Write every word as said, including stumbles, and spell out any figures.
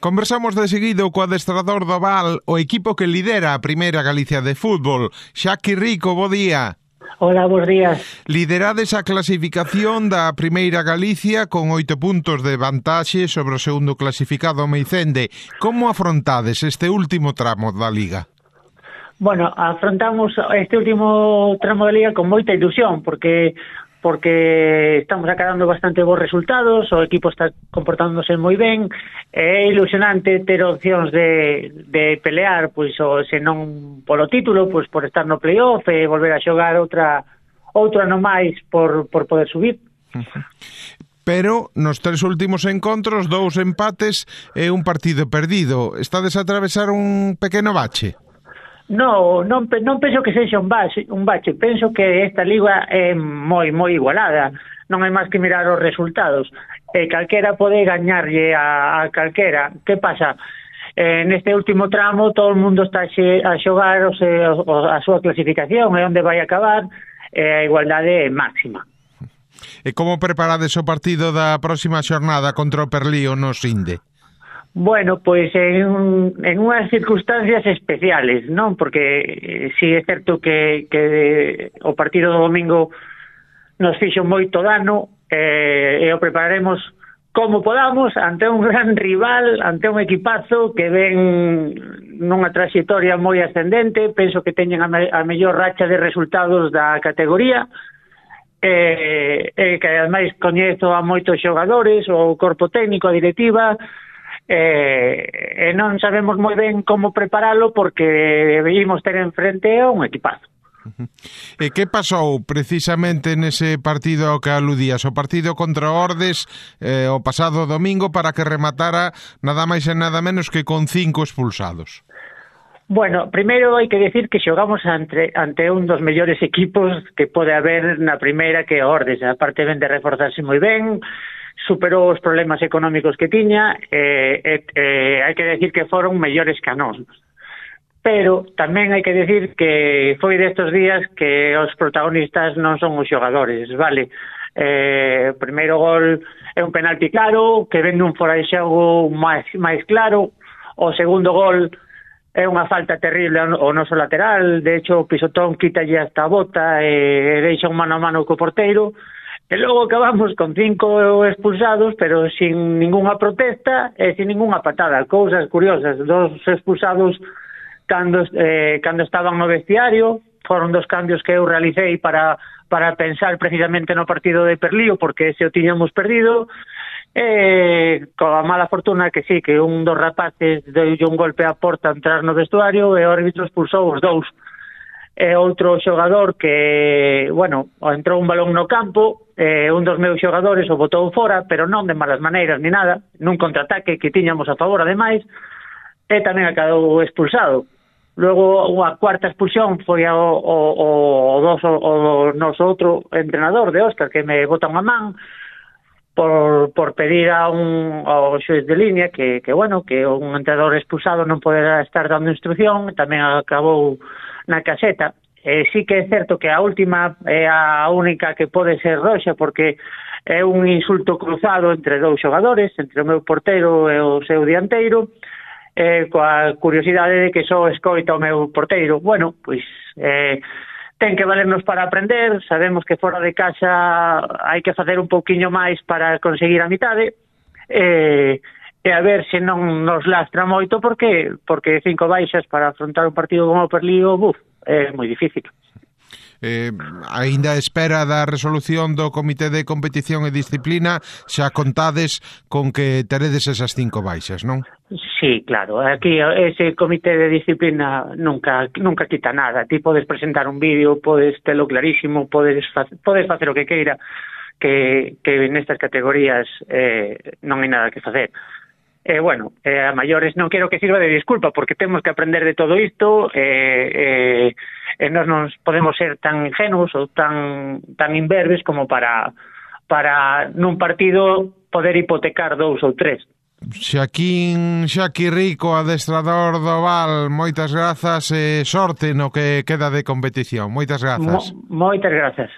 Conversamos de seguido co adestrador do Val, o equipo que lidera a Primeira Galicia de fútbol. Xaqui Rico, bo día. Hola, bons días. Liderades a clasificación da Primeira Galicia con oito puntos de vantaxe sobre o segundo clasificado Meicende. Como afrontades este último tramo da Liga? Bueno, afrontamos este último tramo da Liga con moita ilusión, porque porque estamos acadando bastante bons resultados, o equipo está comportándose moi ben, é ilusionante ter opcións de, de pelear, pois, o, se non polo título, pois por estar no playoff e volver a xogar outra outro ano máis por, por poder subir. Pero nos tres últimos encontros, dous empates e un partido perdido. Estades a atravesar un pequeno bache? No, non, non penso que sexa un bache, un bache. Penso que esta liga é moi, moi igualada. Non hai máis que mirar os resultados. E calquera pode gañarlle a, a calquera. Que pasa? Eh, neste último tramo todo o mundo está a xogar o se, o, a súa clasificación e onde vai acabar, e a igualdade é máxima. E como preparades o partido da próxima xornada contra o Perlío no Sinde? Bueno, pois en, en unhas circunstancias especiales, non? Porque eh, si é certo que, que o partido do domingo nos fixo moito dano, eh, e o prepararemos como podamos ante un gran rival, ante un equipazo que ven nunha trayectoria moi ascendente. Penso que teñen a, me, a mellor racha de resultados da categoría, e eh, eh, que ademais coñezo a moitos xogadores, o corpo técnico, a directiva, e eh, non sabemos moi ben como preparalo, porque vimos ter enfrente a un equipazo. E que pasou precisamente nese partido ao que aludías, o partido contra Ordes eh, o pasado domingo, para que rematara nada máis e nada menos que con cinco expulsados? Bueno, primeiro hai que decir que xogamos ante, ante un dos mellores equipos que pode haber na primeira, que é Ordes. A parte ben de reforzarse moi ben, superou os problemas económicos que tiña, e eh, eh, hai que decir que foron mellores que a nós. Pero tamén hai que decir que foi destos días que os protagonistas non son os xogadores, vale? Eh, o primeiro gol é un penalti claro, que ven un fora de xogo máis, máis claro. O segundo gol é unha falta terrible ao noso lateral, de hecho o pisotón quítalle hasta a bota e deixa un mano a mano co porteiro. E logo acabamos con cinco expulsados, pero sin ninguna protesta e sin ninguna patada. Cousas curiosas, dos expulsados cando, eh, cando estaban no vestiario. Foron dos cambios que eu realicei para, para pensar precisamente no partido de Perlío, porque ese o tiñamos perdido. E coa mala fortuna que sí, que un dos rapaces deulle un golpe á porta a entrar no vestuario e o árbitro expulsou os dous. E outro xogador que, bueno, entrou un balón no campo, e un dos meus xogadores o botou fora, pero non de malas maneiras ni nada, nun contraataque que tiñamos a favor ademais, e tamén acabou expulsado. Logo, a cuarta expulsión foi o, o, o, o, dos, o, o noso outro entrenador de Óscar, que me bota unha man por, por pedir a un ao xuiz de línea que, que, bueno, que un entrenador expulsado non poderá estar dando instrucción. Tamén acabou na caseta. Eh, sí que é certo que a última é a única que pode ser roxa, porque é un insulto cruzado entre dous xogadores, entre o meu porteiro e o seu dianteiro, eh, coa curiosidade de que só escoita o meu porteiro. Bueno, pois eh, ten que valernos para aprender. Sabemos que fora de casa hai que facer un pouquiño máis para conseguir a mitade, e, e a ver se non nos lastra moito, porque porque cinco baixas para afrontar un partido como o Perlío, buf, é moi difícil. Eh, aínda espera da resolución do Comité de Competición e Disciplina, xa contades con que teredes esas cinco baixas, non? Sí, claro, aquí ese Comité de Disciplina nunca nunca quita nada. Ti podes presentar un vídeo, podes telo clarísimo, podes, podes facer o que queira, que, que nestas categorías eh, non hai nada que facer. E, eh, bueno, eh, a maiores non quero que sirva de disculpa, porque temos que aprender de todo isto, e eh, eh, nós non podemos ser tan ingenuos ou tan tan imberbes como para para nun partido poder hipotecar dous ou tres. Xaquín Xaqui Rico, adestrador do Val, moitas grazas e sorte no que queda de competición. Moitas grazas. Mo, moitas grazas.